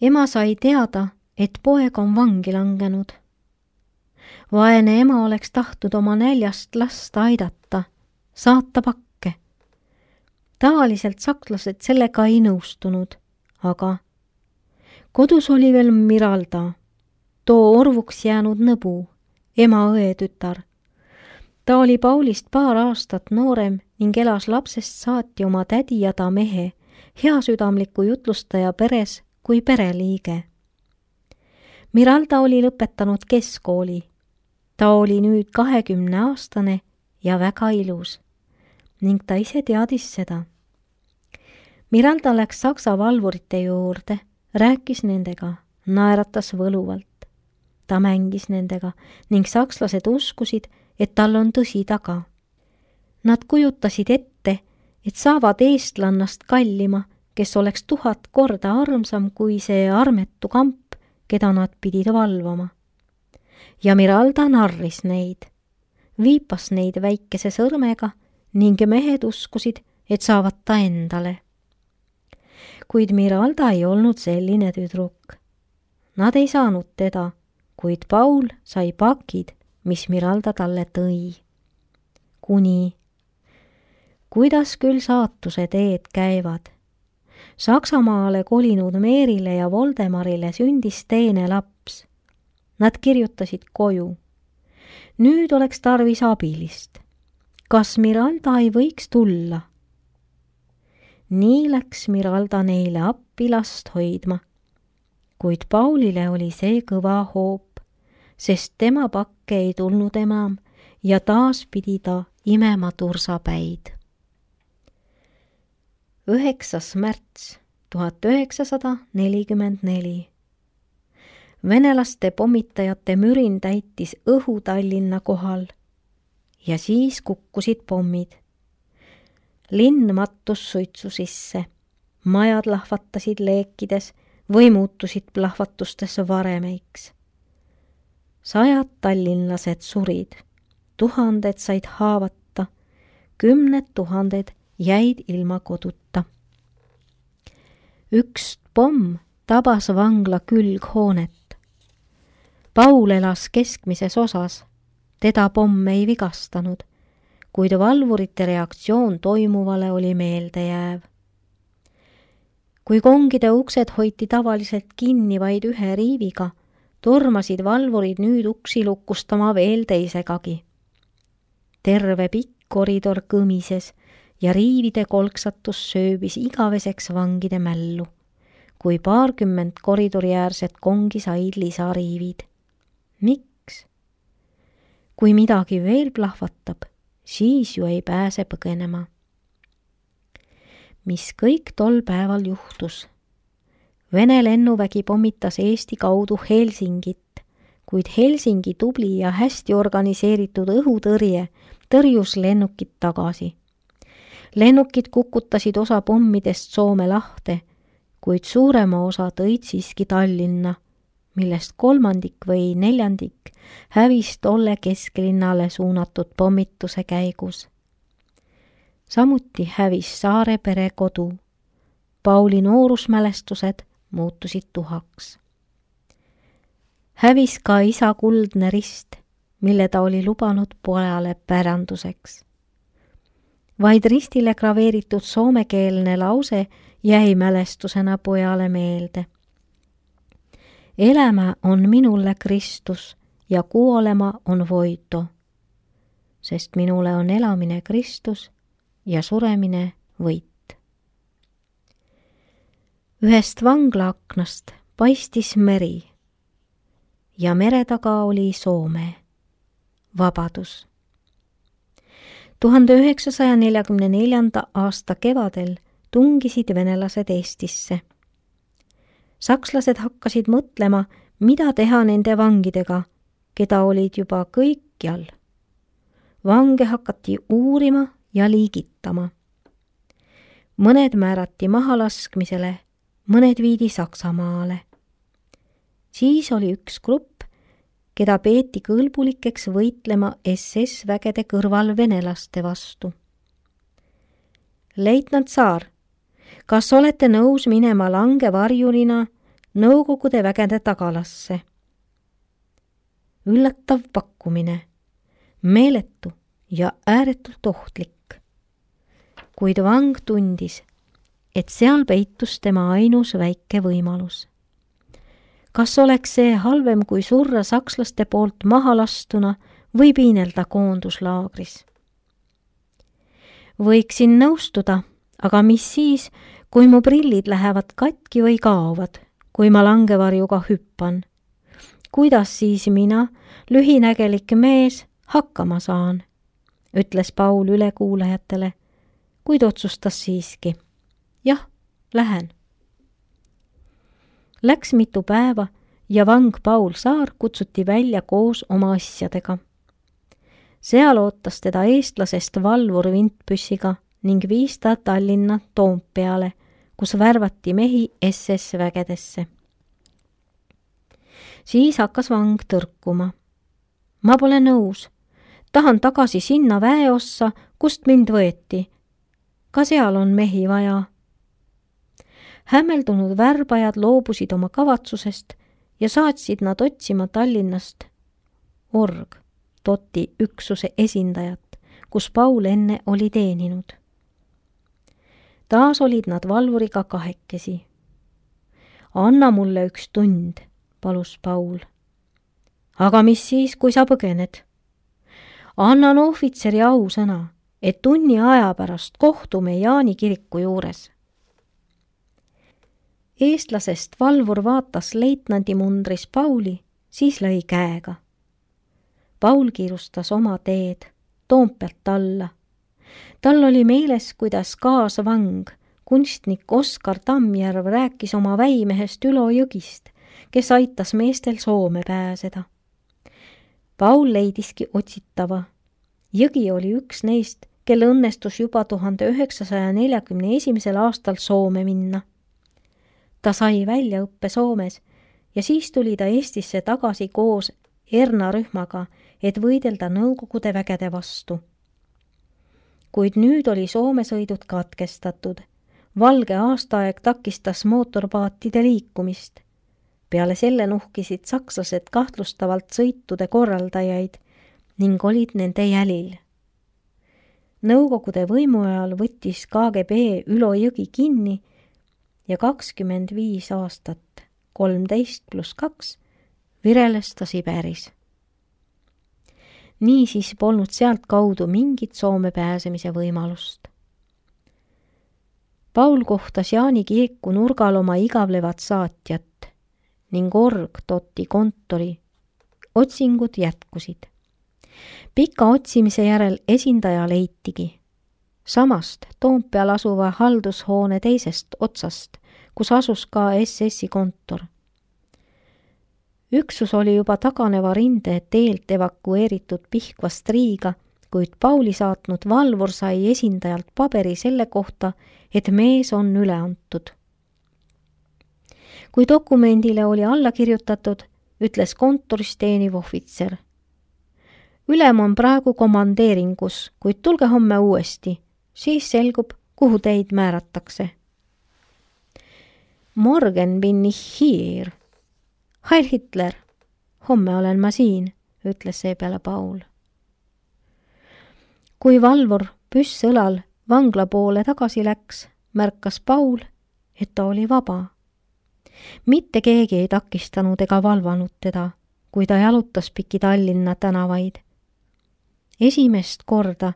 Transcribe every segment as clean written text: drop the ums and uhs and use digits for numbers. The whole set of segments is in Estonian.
Ema sai teada, et poeg on vangi langenud. Vaene ema oleks tahtnud oma näljast last aidata, saata pakke. Tavaliselt sakslased sellega ei nõustunud, aga kodus oli veel Miralda, too orvuks jäänud nõbu, ema õetütar. Ta oli Paulist paar aastat noorem ning elas lapsest saati oma tädi ja ta mehe, heasüdamliku jutlustaja peres kui pereliige. Miralda oli lõpetanud keskkooli. Ta oli nüüd 20-aastane ja väga ilus ning ta ise teadis seda. Miralda läks saksa valvurite juurde, rääkis nendega, naeratas võluvalt. Ta mängis nendega ning sakslased uskusid, et tal on tõsi taga. Nad kujutasid ette, et saavad eestlannast kallima, kes oleks 1000 korda armsam kui see armetu kamp, keda nad pidid valvama. Ja Miralda narris neid, viipas neid väikese sõrmega ning mehed uskusid, et saavad ta endale. Kuid Miralda ei olnud selline tüdruk. Nad ei saanud teda, kuid Paul sai pakid, mis Miralda talle tõi. Kuidas küll saatuse teed käivad? Saksamaale kolinud Meerile ja Voldemarile sündis teine laps. Nad kirjutasid koju. Nüüd oleks tarvis abilist. Kas Miralda ei võiks tulla? Nii läks Miralda neile appi last hoidma. Kuid Paulile oli see kõva hoop, sest tema pakke ei tulnud enam ja taas pidi ta imema tursapäid. 9. märts 1944. Venelaste pommitajate mürin täitis õhu Tallinna kohal ja siis kukkusid pommid. Linn mattus suitsu sisse, majad lahvatasid leekides või muutusid plahvatustes varemeiks. 100 tallinlased surid, 1000 said haavata, 10 000 jäid ilma koduta. Üks pomm tabas vangla külghoonet. Paul elas keskmises osas, teda pomm ei vigastanud, kuid valvurite reaktsioon toimuvale oli meeldejääv. Kui kongide uksed hoiti tavaliselt kinni vaid ühe riiviga, tormasid valvurid nüüd uksi lukustama veel teisegagi. Terve pikk koridor kõmises ja riivide kolksatus sööbis igaveseks vangide mällu, kui 20 koridoriäärset kongi said lisariivid. Miks? Kui midagi veel plahvatab, siis ju ei pääse põgenema. Mis kõik tol päeval juhtus? Vene lennuvägi pommitas Eesti kaudu Helsingit, kuid Helsingi tubli ja hästi organiseeritud õhutõrje tõrjus lennukid tagasi. Lennukid kukutasid osa pommidest Soome lahte, kuid suurema osa tõid siiski Tallinna, millest 3 või 4 hävis tolle kesklinnale suunatud pommituse käigus. Samuti hävis Saare pere kodu. Pauli noorusmälestused muutusid tuhaks. Hävis ka isa kuldne rist, mille ta oli lubanud pojale päranduseks. Vaid ristile graveeritud soomekeelne lause jäi mälestusena pojale meelde. Elämä on minulle Kristus ja kuolema on voito, sest minule on elamine Kristus ja suremine võit. Ühest vanglaaknast paistis meri ja mere taga oli Soome, vabadus. 1944. aasta kevadel tungisid venelased Eestisse. Sakslased hakkasid mõtlema, mida teha nende vangidega, keda olid juba kõikjal. Vange hakati uurima ja liigitama. Mõned määrati mahalaskmisele, mõned viidi Saksamaale. Siis oli üks grupp, keda peeti kõlbulikeks võitlema SS-vägede kõrval venelaste vastu. Leitnant Saar, kas olete nõus minema langevarjurina Nõukogude vägede tagalasse. Üllatav pakkumine, meeletu ja ääretult ohtlik. Kuid vang tundis, et seal peitus tema ainus väike võimalus. Kas oleks see halvem kui surra sakslaste poolt maha lastuna või piinelda koonduslaagris? Võiksin nõustuda, aga mis siis, kui mu prillid lähevad katki või kaovad, kui ma langevarjuga hüppan? Kuidas siis mina, lühinägelik mees, hakkama saan? Ütles Paul ülekuulajatele, kuid otsustas siiski. Jah, lähen. Läks mitu päeva ja vang Paul Saar kutsuti välja koos oma asjadega. Seal ootas teda eestlasest valvur vintpüssiga ning viis ta Tallinna Toompeale, kus värvati mehi SS vägedesse. Siis hakkas vang tõrkuma. Ma pole nõus. Tahan tagasi sinna väeossa, kust mind võeti. Ka seal on mehi vaja. Hämmeldunud värbajad loobusid oma kavatsusest ja saatsid nad otsima Tallinnast Toti üksuse esindajat, kus Paul enne oli teeninud. Taas olid nad valvuriga kahekesi. Anna mulle üks tund, palus Paul. Aga mis siis, kui sa põgened? Annan ohvitseri ausõna, et tunni aja pärast kohtume Jaani kiriku juures. Eestlasest valvur vaatas leitnandi mundris Pauli, siis lõi käega. Paul kiirustas oma teed, Toompealt alla. Tal oli meeles, kuidas kaasvang, kunstnik Oskar Tammjärv rääkis oma väimehest Ülo Jõgist, kes aitas meestel Soome pääseda. Paul leidiski otsitava. Jõgi oli üks neist, kelle õnnestus juba 1941. aastal Soome minna. Ta sai väljaõppe Soomes ja siis tuli ta Eestisse tagasi koos Erna rühmaga, et võidelda Nõukogude vägede vastu. Kuid nüüd oli Soome sõidud katkestatud. Valge aastaaeg takistas mootorpaatide liikumist. Peale selle nuhkisid sakslased kahtlustavalt sõitude korraldajaid ning olid nende jälil. Nõukogude võimu ajal võttis KGB Ülo Jõgi kinni ja 25 aastat, 13+2, vireles ta Siberis. Niisiis polnud sealt kaudu mingit Soome pääsemise võimalust. Paul kohtas Jaani kiriku nurgal oma igavlevat saatjat ning Toti kontori. Otsingud jätkusid. Pika otsimise järel esindaja leitigi. Samast Toompeal asuva haldushoone teisest otsast, kus asus ka SS-i kontor. Üksus oli juba taganeva rinde teelt evakueeritud Pihkvast Riiga, kuid Pauli saatnud valvur sai esindajalt paberi selle kohta, et mees on üle antud. Kui dokumendile oli alla kirjutatud, ütles kontoris teeniv ohvitser. Ülem on praegu komandeeringus, kuid tulge homme uuesti, siis selgub, kuhu teid määratakse. Morgen bin ich hier. Heil Hitler, homme olen ma siin, ütles seepeale Paul. Kui valvur püss õlal vangla poole tagasi läks, märkas Paul, et ta oli vaba. Mitte keegi ei takistanud ega valvanud teda, kui ta jalutas piki Tallinna tänavaid. Esimest korda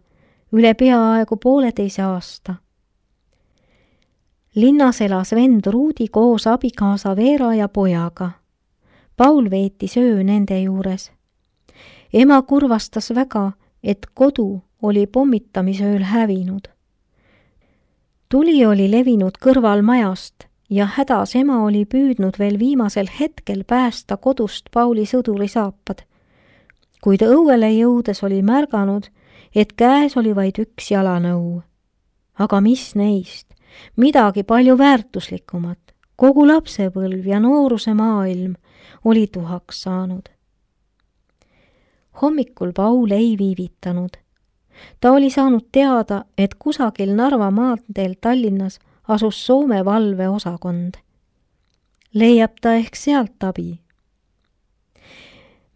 üle peaaegu 1,5 aasta. Linnas elas vend Ruudi koos abikaasa Veera ja pojaga. Paul veetis öö nende juures. Ema kurvastas väga, et kodu oli pommitamisööl hävinud. Tuli oli levinud kõrval majast ja hädas ema oli püüdnud veel viimasel hetkel päästa kodust Pauli sõdurisaapad, kuid õuele jõudes oli märganud, et käes oli vaid üks jalanõu. Aga mis neist? Midagi palju väärtuslikumat. Kogu lapsepõlv ja nooruse maailm oli tuhaks saanud. Hommikul Paul ei viivitanud. Ta oli saanud teada, et kusagil Narva maanteel Tallinnas asus Soome valveosakond. leiab ta ehk sealt abi.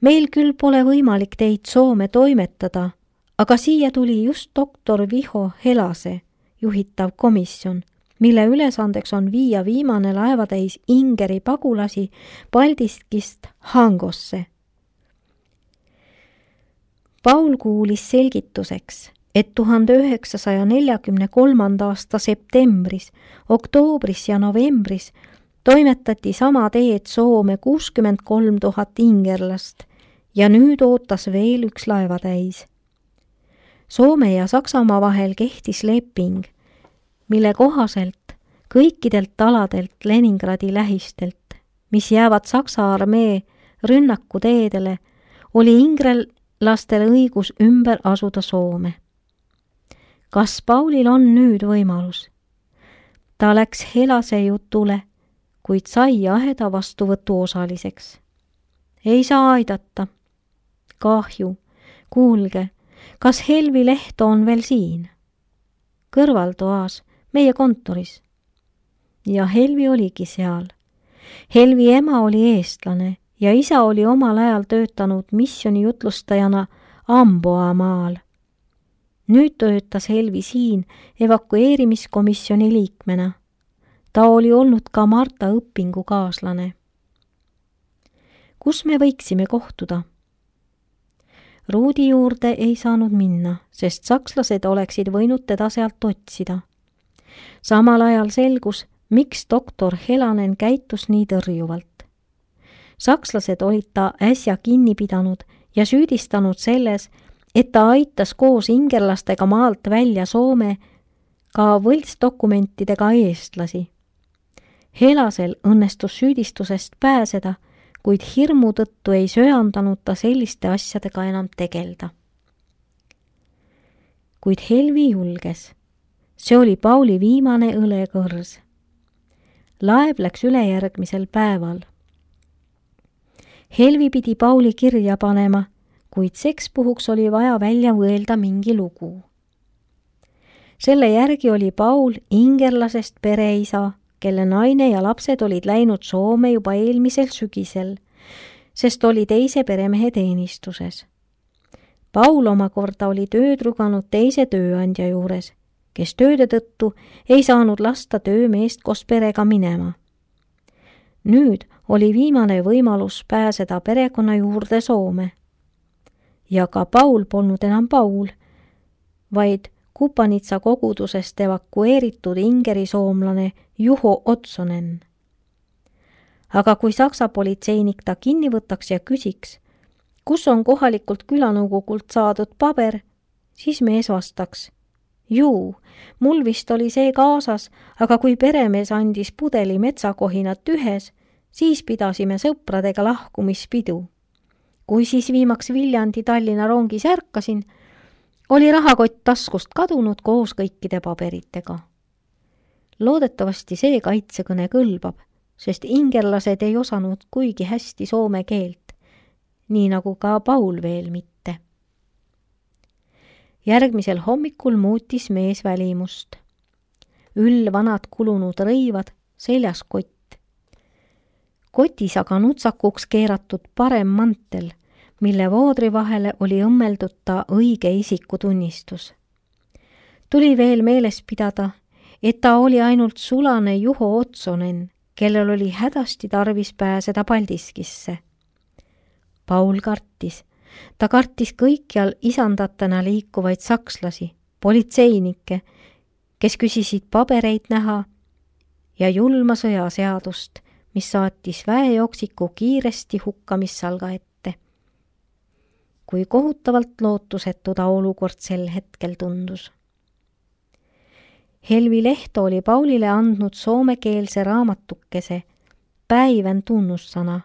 Meil küll pole võimalik teid Soome toimetada, aga siia tuli just doktor Viho Helase juhitav komisjon, mille ülesandeks on viia viimane laevatäis Ingeri pagulasi Paldiskist Hangosse. Paul kuulis selgituseks, et 1943. aasta septembris, oktoobris ja novembris toimetati sama teed Soome 63 000 ingerlast ja nüüd ootas veel üks laevatäis. Soome ja Saksamaa vahel kehtis leping, mille kohaselt kõikidelt aladelt Leningradi lähistelt, mis jäävad Saksa armee rünnakuteedele, oli ingerlastel õigus ümber asuda Soome. Kas Paulil on nüüd võimalus? Ta läks Helase jutule, kuid sai aheda vastuvõtu osaliseks. Ei saa aidata. Kahju. Kuulge, kas Helvi Lehto on veel siin? Kõrvaltoas, meie kontoris. Ja Helvi oligi seal. Helvi ema oli eestlane ja isa oli omal ajal töötanud missiooni jutlustajana Amboa maal. Nüüd töötas Helvi siin evakueerimiskomisjoni liikmena. Ta oli olnud ka Marta õpingukaaslane. Kus me võiksime kohtuda? Ruudi juurde ei saanud minna, sest sakslased oleksid võinud teda sealt otsida. Samal ajal selgus, miks doktor Helanen käitus nii tõrjuvalt. Sakslased olid ta äsja kinni pidanud ja süüdistanud selles, et ta aitas koos ingerlastega maalt välja Soome ka võltsdokumentidega eestlasi. Helasel õnnestus süüdistusest pääseda, kuid hirmu tõttu ei söandanud ta selliste asjadega enam tegelda. Kuid Helvi julges. See oli Pauli viimane õlekõrs. Laev läks ülejärgmisel päeval. Helvi pidi Pauli kirja panema, kuid sekspuhuks oli vaja välja võelda mingi lugu. Selle järgi oli Paul ingerlasest pereisa, kelle naine ja lapsed olid läinud Soome juba eelmisel sügisel, sest oli teise peremehe teenistuses. Paul omakorda oli tööd ruganud teise tööandja juures, kes tööde tõttu ei saanud lasta töömeest koos perega minema. Nüüd oli viimane võimalus pääseda perekonna juurde Soome. Ja ka Paul polnud enam Paul, vaid Kupanitsa kogudusest evakueeritud ingerisoomlane Juho Otsonen. Aga kui saksa politseinik ta kinni võtaks ja küsiks, kus on kohalikult külanõukogult saadud paber, siis mees vastaks, juu, mul vist oli see kaasas, aga kui peremees andis pudeli metsakohinat ühes, siis pidasime sõpradega lahkumispidu. Kui siis viimaks Viljandi Tallinna rongis ärkasin, oli rahakott taskust kadunud koos kõikide paberitega. Loodetavasti see kaitsekõne kõlbab, sest ingerlased ei osanud kuigi hästi soome keelt, nii nagu ka Paul veel mitte. Järgmisel hommikul muutis mees välimust. Vanad kulunud rõivad, seljas kott. Kotis aga nutsakuks keeratud parem mantel, mille voodri vahele oli õmmeldud ta õige isikutunnistus. Tuli veel meeles pidada, et ta oli ainult sulane Juho Otsonen, kellel oli hädasti tarvis pääseda Paldiskisse. Paul kartis. Ta kartis kõikjal isandatena liikuvaid sakslasi, politseinikke, kes küsisid pabereid näha ja julma sõjaseadust, mis saatis väejooksiku kiiresti hukkamissalga ette. Kui kohutavalt lootusetu ta olukord sel hetkel tundus. Helvi Lehto oli Paulile andnud soomekeelse raamatukese Päivän tunnussana,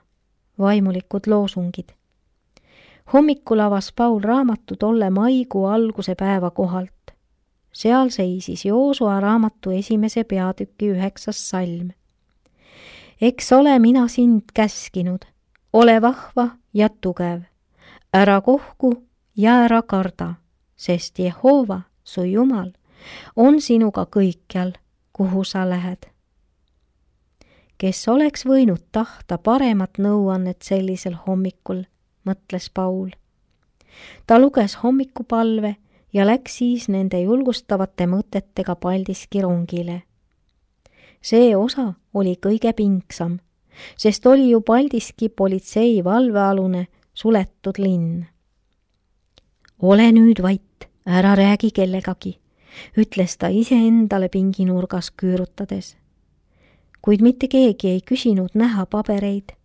vaimulikud loosungid. Hommikul avas Paul raamatu tolle maikuu alguse päeva kohalt. Seal seisis Joosua raamatu esimese peatüki 9. salm. Eks ole mina sind käskinud, ole vahva ja tugev, ära kohku ja ära karda, sest Jehova, su Jumal, on sinuga kõikjal, kuhu sa lähed. Kes oleks võinud tahta paremat nõuannet sellisel hommikul, mõtles Paul. Ta luges hommikupalve ja läks siis nende julgustavate mõtetega Paldiski rongile. See osa oli kõige pingsam, sest oli ju Paldiski politsei valvealune suletud linn. Ole nüüd vait, ära räägi kellegagi, ütles ta iseendale pinginurgas küürutades. Kuid mitte keegi ei küsinud näha pabereid,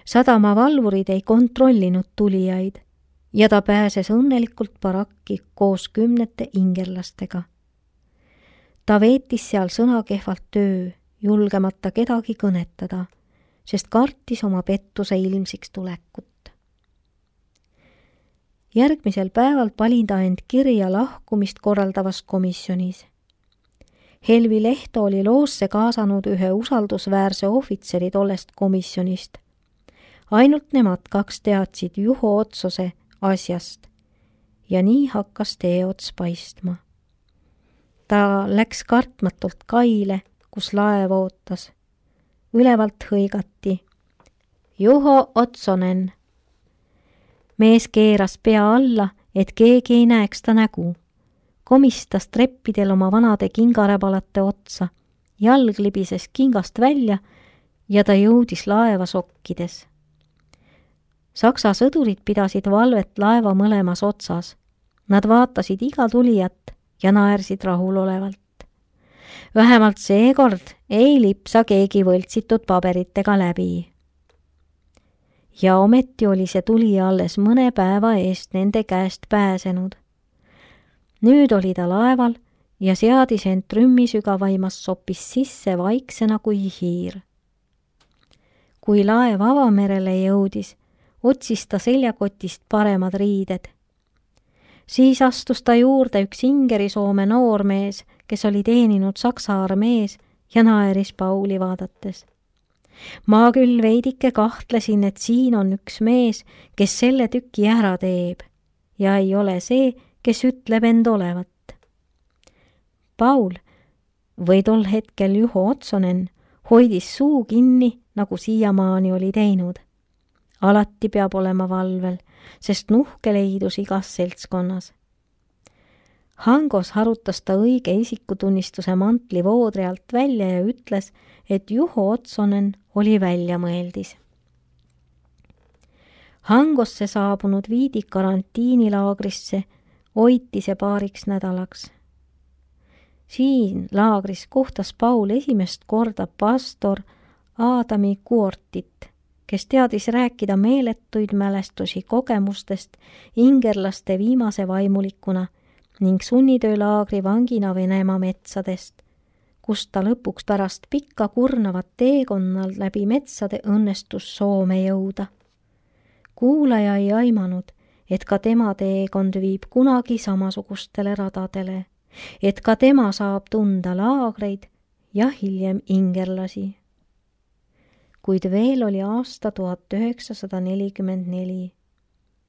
sadamavalvurid ei kontrollinud tulijaid ja ta pääses õnnelikult barakki koos 10 ingerlastega. Ta veetis seal sõnakehvalt öö, julgemata kedagi kõnetada, sest kartis oma pettuse ilmsiks tulekut. Järgmisel päeval panin ta end kirja lahkumist korraldavas komisjonis. Helvi Lehto oli loosse kaasanud ühe usaldusväärse ohvitseri tollest komisjonist. Ainult nemad 2 teadsid Juho Otsose asjast ja nii hakkas teeots paistma. Ta läks kartmatult kaile, kus laev ootas. Ülevalt hõigati. Juho Otsonen. Mees keeras pea alla, et keegi ei näeks ta nägu. Komistas treppidel oma vanade kingaräbalate otsa. Jalg libises kingast välja ja ta jõudis laeva sokkides. Saksa sõdurid pidasid valvet laeva mõlemas otsas. Nad vaatasid iga tulijat ja naersid rahulolevalt. Vähemalt seekord ei lipsa keegi võltsitud paberitega läbi. Ja ometi oli see tulija alles mõne päeva eest nende käest pääsenud. Nüüd oli ta laeval ja seadis end trümmisügavaimas soppis sisse vaiksena kui hiir. Kui laev avamerele jõudis, otsis ta seljakotist paremad riided. Siis astus ta juurde üks Ingeri-Soome noormees, kes oli teeninud Saksa armees ja naeris Pauli vaadates. Ma küll veidike kahtlesin, et siin on üks mees, kes selle tüki ära teeb ja ei ole see, kes ütleb end olevat. Paul või tol hetkel Juho Otsonen hoidis suu kinni, nagu siiamaani oli teinud. Alati peab olema valvel, sest nuhke leidus igas seltskonnas. Hangos harutas ta õige isikutunnistuse mantli voodri alt välja ja ütles, et Juho Otsonen oli väljamõeldis. Hangosse saabunud viidi karantiinilaagrisse, hoiti see paariks nädalaks. Siin laagris kohtas Paul esimest korda pastor Aadami Kuortit, kes teadis rääkida meeletuid mälestusi kogemustest ingerlaste viimase vaimulikuna ning sunnitöölaagri vangina Venemaa metsadest, kust ta lõpuks pärast pikka kurnavat teekonnal läbi metsade õnnestus Soome jõuda. Kuulaja ei aimanud, et ka tema teekond viib kunagi samasugustele radadele, et ka tema saab tunda laagreid ja hiljem ingerlasi. Kuid veel oli aasta 1944.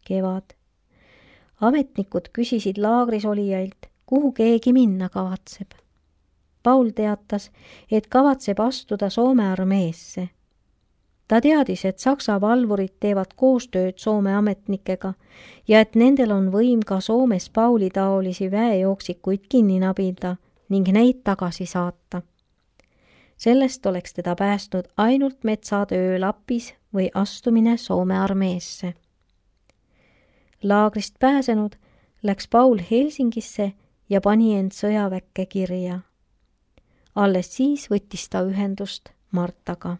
Kevad. Ametnikud küsisid laagris olijailt, kuhu keegi minna kavatseb. Paul teatas, et kavatseb astuda Soome armeesse. Ta teadis, et Saksa valvurid teevad koostööd Soome ametnikega ja et nendel on võim ka Soomes Pauli taolisi väejooksikuid kinni nabida ning neid tagasi saata. Sellest oleks teda päästnud ainult metsatöö Lapis või astumine Soome armeesse. Laagrist pääsenud läks Paul Helsingisse ja pani end sõjaväkke kirja. Alles siis võttis ta ühendust Martaga.